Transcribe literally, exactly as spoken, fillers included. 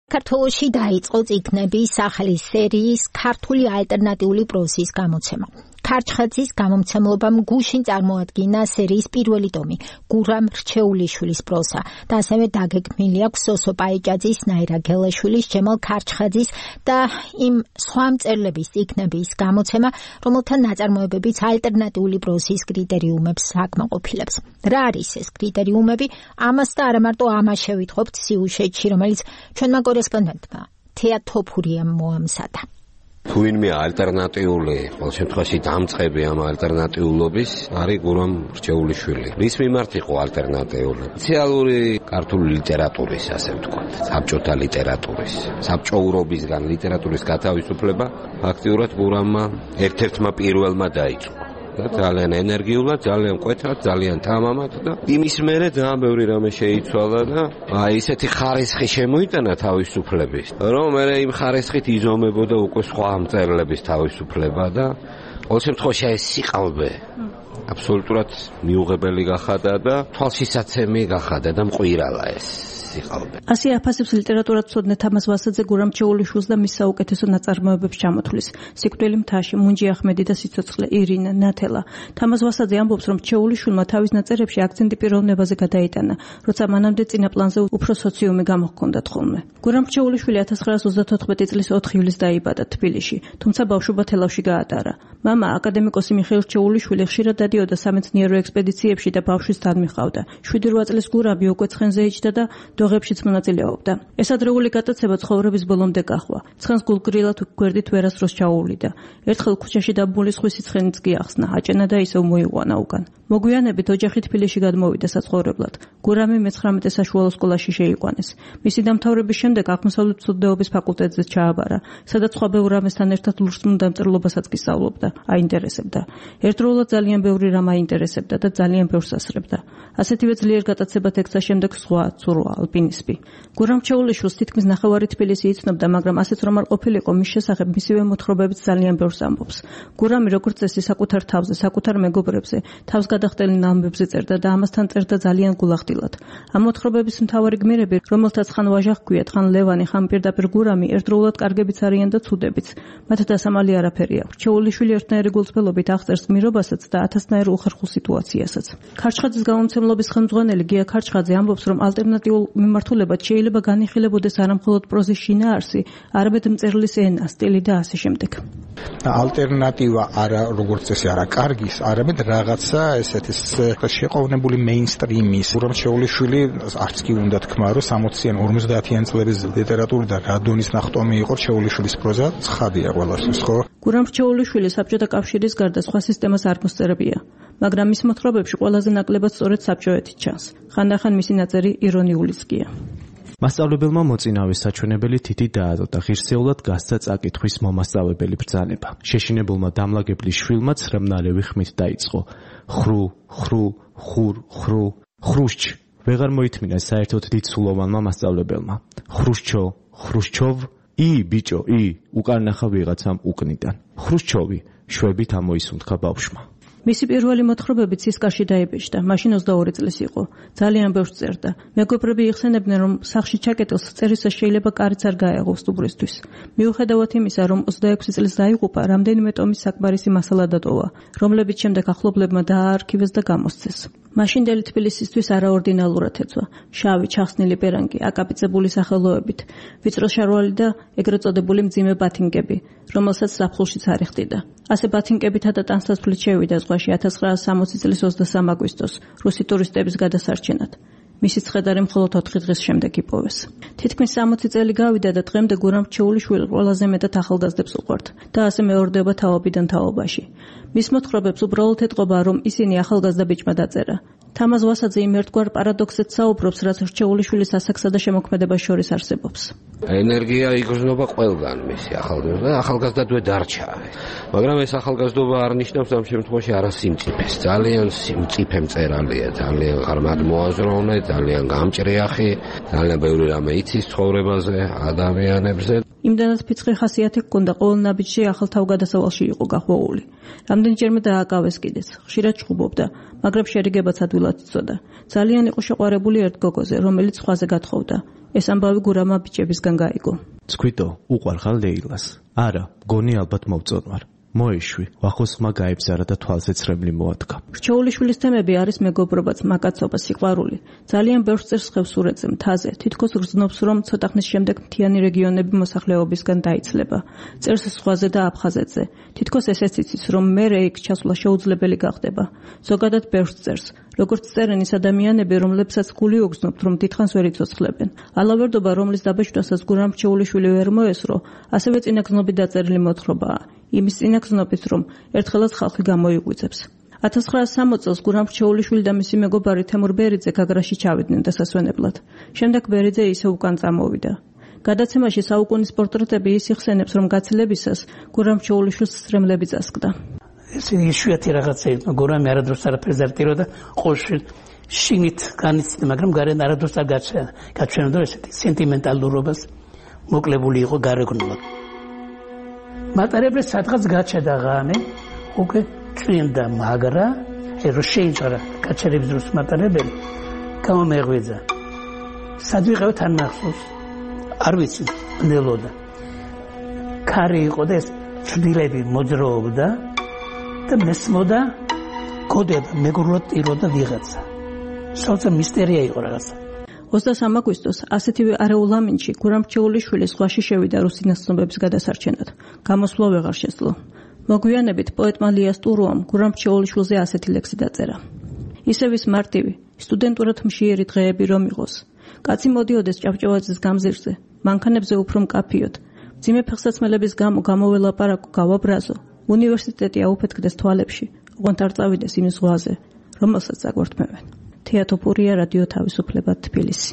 საქართველოში დაიწყო წიგნების სახლის სერიის ქართული ალტერნატიული პროზის გამოცემა. ქარჩხაძის გამომცემლობამ გუშინ წარმოადგინა სერიის პირველი ტომი გურამ რჩეულიშვილის პროზა და ასევე დაგეგმილი აქვს სოსო პაიჭაძის, ნაირა გელაშვილის, ჯემალ ქარჩხაძის და იმ სხვა მწერლების წიგნების გამოცემა, რომელთა ნაწარმოებებიც ალტერნატიული პროზის კრიტერიუმებს აკმაყოფილებს. რა არის ეს კრიტერიუმები? ამას და არა მარტო ამას შევიტყობთ სიუჟეტში, რომელიც ჩვენმა კორესპონდენტმა თეა თოფურიამ მოამზადა. თუ ვინმე ალტერნატიული, ყოველ შემთხვევაში დამწყები ამ ალტერნატიულობის არის გურამ რჩეულიშვილი. რის მიმართ იყო ალტერნატიული? სოციალური ქართული ლიტერატურის, ასე ვთქვათ, საბჭოთა ლიტერატურის, საბჭოურობისგან ლიტერატურის გათავისუფლება ფაქტიურად გურამმა ერთ-ერთმა პირველმა დაიწყო. ძალიან ენერგიულად, ძალიან მკვეთრად, ძალიან თამამად და იმის მერე ძალიან ბევრი რამე შეიცვალა და აი ისეთი ხარისხი შემოიტანა თავისუფლების, რომ მე იმ ხარისხით იზომებოდა უკვე სხვა მწერლების თავისუფლება და ყოველ შემთხვევაში ეს სიყალბე აბსოლუტურად მიუღებელი გახადა და თვალშისაცემი გახადა და მყვირალა ეს. ასე აფასებს ლიტერატურათმცოდნე თამაზ ვასაძე გურამ რჩეულიშვილს და მის საუკეთესო ნაწარმოებებს ჩამოთვლის. სიკვდილი მთაში, მუნჯი ახმედი და სიცოცხლე, ირინა, ნათელა. თამაზ ვასაძე ამბობს, რომ რჩეულიშვილმა თავის ნაწერებში აქცენტი პიროვნებაზე გადაიტანა, როცა მანამდე წინა პლანზე უფრო სოციუმი გამოჰქონდათ ხოლმე. გურამ რჩეულიშვილი ათას ცხრაას ოცდათოთხმეტი წლის ოთხი ივლისს დაიბადა თბილისში, თუმცა ბავშვობა თელავში გაატარა. მამა, აკადემიკოსი მიხეილ რჩეულიშვილი ხშირად დადიოდა სამეცნიერო ექსპედიციებში და ბავშვის დადმიყავდა. შვიდი რვა წლის გურამი უკვე ცხენზე იჯდა და დოღებშიც მონაწილეობდა. ეს ადრეული გატაცება ცხოვრების ბოლომდე გაჰვა. ცხენს გულგრილად გვერდით ვერასდროს ჩაუვლიდა. ერთხელ ქუჩაში დაბმული სხვისი ცხენიც კი ახსნა, აჭენა და ისევ მოიყვანა უკან. მოგვიანებით ოჯახი თბილისში გადმოვიდა საცხოვრებლად. გურამი მეცხრამეტე საშუალო სკოლაში შეიყვანეს. მისი დამთავრების შემდეგ აღმოსავლეთ მცოდნეობის ფაკულტეტზე ჩააბარა, სადაც სხვა ბევრ რამესთან ერთად ლურსმულ დამწერლობასაც კი სწავლობდა, აინტერესებდა. ერთდროულად ძალიან ბევრი რამ აინტერესებდა და ძალიან ბევრს ასრებდა. ასეთივე ძლიერ გატაცება ტექსტის შემდეგ სხვა ცურვა ალპინისტი. გურამ რჩეულიშვილს თითქმის ნახევარი თბილისი იცნობდა, მაგრამ ასეც რომ არ ყოფილიყო მის შესახებ მისივე მოთხრობებიც ძალიან ბევრს ამბობს. გურამი როგორც წესი საკუთარ თავზე, საკუთარ მეგობრებზე, თავს გადახდელ ამბებზე წერდა და ამასთან წერდა ძალიან გულახდილად. ამ მოთხრობების მთავარი გმირები, რომელთაც ხან ვაჟა ჰქვიათ, ხან ლევანი, ხან პირდაპირ გურამი, ერთდროულად კარგებიც არიან და ცუდებიც. მათ დასამალი არაფერი აქვს. რჩეულიშვილი ერთნაირი გულწრფელობით აღწერს გმირობასაც და ათასნაირ უხერხულ სიტუაციასაც. ქარჩხაძის გამომცემლობის ხელმძღვანელი გია ქარჩხაძე ამბობს, რომ ალტერნატიულ მიმართულებად შეიძლება განიხილებოდეს არამხოლოდ პროზის შინაარსი, არამედ მწერლის ენა, სტილი და ასე შემდეგ. ალტერნატივა არა როგორც წესი არა კარგის, არამედ რაღაცა ესეთი შეყოვნებული მეინსტრიმის. გურამ რჩეულიშვილი არც კი უნდა თქვა, რომ სამოციან ორმოცდაათიან წლების ლიტერატური და რადონის ნახტომი იყო რჩეულიშვილის პროზა, ცხადია ყველასთვის, ხო? გურამ რჩეულიშვილი საბჭოთა კავშირის გარდა სხვა სისტემას არ მოსწერებია, მაგრამ მის მოთხრობებში ყველაზე ნაკლებად სწორედ საბჭოეთი ჩანს. ხანდახან მისი ნაწერი ირონიულიც გია. მასწავლებელმა მოწინავის საჩვენებელი თითი დაადო და ღირსეულად გასცა წაკითხვის მომასწავლებელი ბრძანება. შეშინებულმა დამლაგებლის შვილმა ცრემნარევი ხმით დაიწყო. ხრუ, ხრუ, ხურ, ხრუ, ხრუშჩ. ვეღარ მოითმინა საერთოდ დიდსულოვანმა მასწავლებელმა. ხრუშჩო, ხრუშჩოვ, ი ბიჭო, ი, უკან ნახა ვიღაცამ უკნიდან. ხრუშჩოვი, შვებით ამოისუნთქა ბავშვმა. მისი პირველი მოთხრობები ცისკარში დაიბეჭდა, მაშინ ოცდაორი წლის იყო. ძალიან ბევრს წერდა. მეგობრები იხსენებდნენ, რომ სახლში ჩაკეტილს წერისას შეიძლება კარიც არ გაეღო სტუმრისთვის. მიუხედავად იმისა, რომ ოცდაექვსი წლის დაიღუპა, რამდენიმე ტომის საკმარისი მასალა დატოვა, რომლებიც შემდეგ ახლობლებმა დააარქივეს და გამოსცეს. მაშინდელი თბილისისთვის არაორდინალურად ეწვა. შავი, ჩახსნილი პერანგი, აკაპიცებული სახელოებით, ვიწრო შარვალი და ეგრეთ წოდებული მძიმე ბათინკები, რომელსაც ზაფხულშიც არ იხდიდა. ასე ბათინკებითა და ტანსაცმლით შევიდა ზღვაში ათას ცხრაას სამოცი წლის ოცდასამ აგვისტოს რუსი ტურისტების გადასარჩენად. მისი ცხედარი მხოლოდ ოთხი დღის შემდეგ იპოვეს. თითქმის სამოცი წელი გავიდა და დღემდე გურამ რჩეულიშვილი ყველაზე მეტად ახალგაზრდებს უყვართ და ასე მეორდება თაობიდან თაობაში. მის მოთხრობებს უბრალოდ ეთყობა, რომ ისინი ახალგაზრდა ბიჭმა დაწერა. თამაზ ვასაძე იმ ერთგვარ პარადოქსით საუბრობს, რაც რჩეულიშვილის ასაკსა და შემოქმედებას შორის არსებობს. ენერგია იგრძნობა ყველგან მისი ახალგაზრდა, ახალგაზრდადვე დარჩა. მაგრამ ეს ახალგაზრდობა არ ნიშნავს ამ შემთხვევაში არასიმწიფეს. ძალიან სიმწიფე მწერალია, ძალიან ღრმად მოაზროვნე, ძალიან გამჭრიახი, ძალიან ბევრი რამე იცის ცხოვრებაზე, ადამიანებზე. იმდანაც ფიცხი ხასიათი ჰქონდა, ყოველ ნაბიჯში ახალ თავგადასავალში იყო გახვეული. რამდენჯერმე დააკავეს კიდეც, ხშირად ჩხუბობდა, მაგრამ შერიგებაც ადვილად იცოდა. ძალიან იყო შეყვარებული ერთ გოგოზე, რომელიც სხვაზე გათხოვდა. ეს ამბავი გურამმა ბიჭებისგან გაიგო. ცქვიტო, უყვარხარ ლეილას. არა, გონი ალბათ მოვწონვარ. მოეშვი, ვახოს ხმა გაიბზარა და თვალზე ცრემლი მოადგა. რჩეულიშვილის თემები არის მეგობრობა, მაკაცობა, სიყვარული. ძალიან ბევრს წერს ხევსურეთზე, მთაზე. თითქოს გრძნობს, რომ ცოტა ხნის შემდეგ მთიანი რეგიონები მოსახლეობისგან დაიცლება. წერს ზღვაზე და აფხაზეთზე. თითქოს ესეც იცის, რომ მერე იქ ჩასვლა შეუძლებელი გახდება. ზოგადად ბევრს წერს. როგორც წერენ ის ადამიანები, რომლებსაც გული უგზნობთ, რომ დიდხანს ვერ იცოცხლებენ. ალავერდობა, რომლის დაბეჭდვასაც გურამ რჩეულიშვილი ვერ მოესწრო, ასევე წინაგრძნობით დაწერილი მოთხრობაა. იმის წინაგრძნობით, რომ ერთხელაც ხალხი გამოიღვიძებს. ათას ცხრაასი სამოცი წელს გურამ რჩეულიშვილი და მისი მეგობარი თემურ ბერიძე გაგრაში ჩავიდნენ დასასვენებლად. შემდეგ ბერიძე ისევ უკან წამოვიდა. გადაცემაში საუკუნის პორტრეტები ის იხსენებს, რომ გაცილებისას გურამ რჩეულიშვილს სრემლები წასკდა. ეს იშვიათი რაღაცა იყო, გურამი არადროს არაფერს არ ტიროდა, ყოველშვი შინით განიცდიდა, მაგრამ გარეთ არადროს არ გაჩვენებდა ესეთი სენტიმენტალურობას, მოკლებული იყო გარეგნულად. მატარებლებს სადღაც გაჩნდა ღამე, უკვე წვიმდა, მაგრა, ეს შეიჭრა გაჩერების დროს მატარებელი გამომეღვიძა. სად ვიყავთ ან მახსოვს? არ ვიცი, ნელოდა. ქარი იყო და ეს ჭდილები მოძრაობდა და მესმოდა გოდება, მეგრულად ტიროდა ვიღაცა. სულცა მისტერია იყო რაღაცა. ოცდასამი აგვისტოს ასეთივე არეულამინჩი გურამ რჩეულიშვილი ზღვაში შევიდა რუსინას ცნობების გადასარჩენად. გამოსვლა ვეღარ შეძლო. მოგვიანებით პოეტმა ლიას ტურუამ გურამ რჩეულიშვილზე ასეთი ლექსი დაწერა. ისევ ის მარტივი, სტუდენტურად მშიერი დღეები რომ იყოს. კაცი მოდიოდეს ჭავჭავაძის გამზირზე, მანქანებზე უფრო მკაფიოდ. მძიმე ფეხსაცმელების გამო გამოველაპარაკო გავაბრაზო. უნივერსიტეტი აუფეთქდეს თვალებში, ოღონდ არ წავიდეს იმ ზღვაზე, რომელსაც აგვართმევენ. თეატოფურია რადიო თავისუფლება თბილისი.